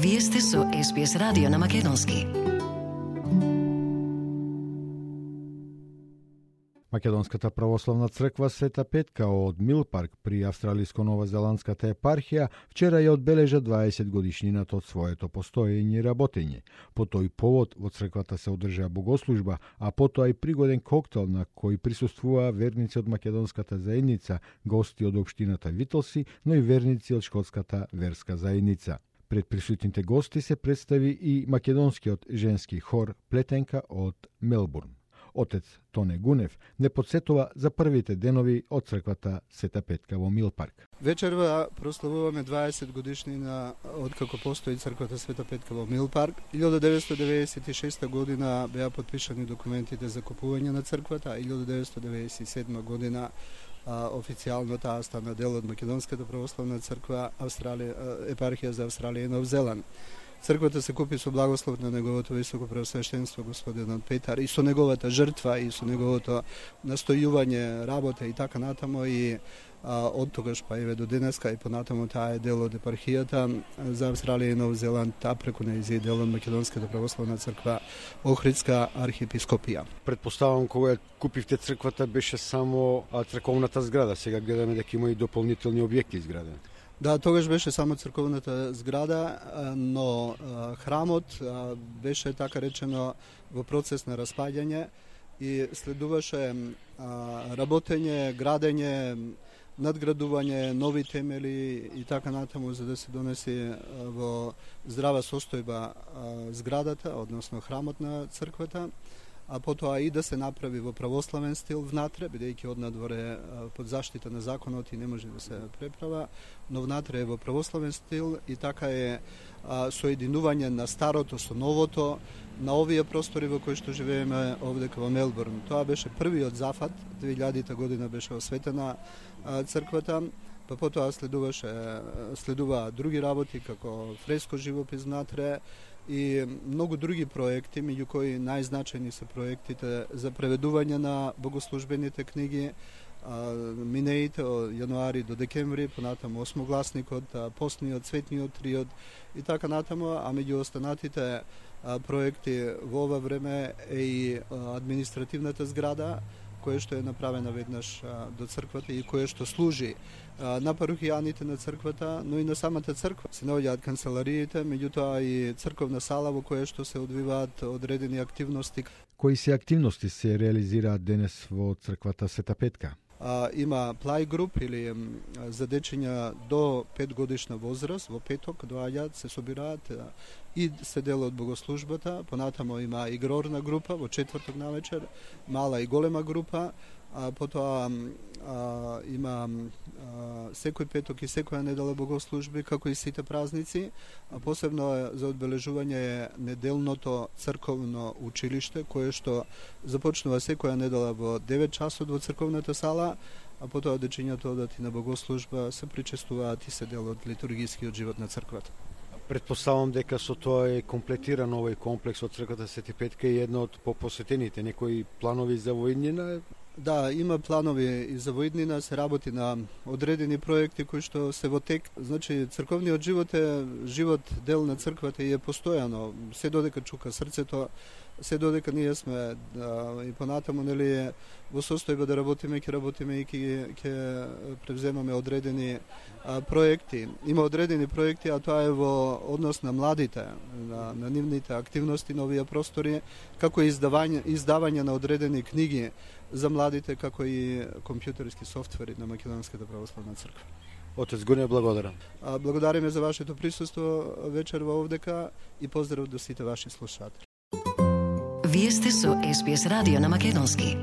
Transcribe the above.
Вие сте со SBS радио на македонски. Македонската православна црква Света Петка од Милпарк при Австралиско-новозеландската епархија вчера ја одбележа 20 годишнината од своето постоење и работење. По тој повод во црквата се одржа богослужба, а потоа и пригоден коктел на кој присуствуваа верници од македонската заедница, гости од општината Витолси, но и верници од шкотската верска заедница. Пред присутните гости се представи и македонскиот женски хор Плетенка од Мелбурн. Отец Тоне Гунев не подсетува за првите денови од црквата Света Петка во Милпарк. Вечерва прославуваме 20 годишнина од како постои црквата Света Петка во Милпарк. 1996 година беа подпишани документите за купување на црквата, а 1997 година официјално таа стана дел од Македонската православна црква епархија за Австралија и Нов Зеланд. Црквата се купи со благослов на неговото високо преосвещенство господинот Петар и со неговата жртва и со неговото настојување, работа и така натаму и од тогаш па еве до денеска и понатаму таа е дел од епархијата за Австралија и Нов Зеланд, таа преку нејзи дел од Македонската православна црква Охридска архиепископија. Предпоставам кога купивте црквата беше само црковната зграда, сега гледаме дека има и дополнителни објекти изградени. Да, тогаш беше само црковната зграда, но храмот беше така речено во процес на распаѓање и следуваше работење, градење, надградување, нови темели и така натаму за да се донесе во здрава состојба зградата, односно храмот на црквата, а потоа и да се направи во православен стил внатре, бидејќи однадворе под заштита на законот и не може да се преправа, но внатре е во православен стил и така е соединување на старото со новото на овие простори во кои што живееме овдека во Мелбурн. Тоа беше првиот зафат, 2000 година беше осветена црквата, па потоа следуваа други работи како фреско живопис внатре и многу други проекти, меѓу кои најзначајни се проектите за преведување на богослужбените книги, минеите од јануари до декември, понатаму осмогласникот, постниот, цветниот триод и така натаму, а меѓу останатите проекти во ова време е и административната зграда, која што е направена веднаш до црквата и која што служи на парухијаните на црквата, но и на самата црква. Се наоѓаат канцелариите, меѓутоа и црковна сала во која што се одвиваат одредени активности. Кои се активности се реализираат денес во црквата Света Петка? Има плај груп или за дечиња до 5 годишна возраст, во петок доаѓаат, се собираат и се дел од богослужбата, понатамо има игрорна група во четврток навечер, мала и голема група, потоа има секој петок и секоја недела богослужби, како и сите празници, а посебно за одбележување е неделното црковно училиште, кое што започнува секоја недела во 9 часот во црковната сала, а потоа дечињата одат и на богослужба, се причестуваат и се дел од литургискиот живот на црквата. Предпоставам дека со тоа е комплетиран овој комплекс од црквата Света Петка и едно од посетените. Некои планови за воиднина? Да, има планови и за воиднина, се работи на одредени проекти кои што се во тек. Значи, црковниот живот е живот дел на црквата и е постојано. Се додека чука срцето, се додека ние сме и понатаму нели во состојба да работиме, ќе работиме и ќе превземаме одредени проекти. Има одредени проекти, а тоа е во однос на младите, на нивните активности на овие простори, како и издавање на одредени книги за младите, како и компјутерски софтвери на Македонската православна црква. Отец Гуне, благодарам. Благодариме за вашето присуство вечерва овдека и поздрав до сите ваши слушатели. Вие сте со SBS радио на македонски.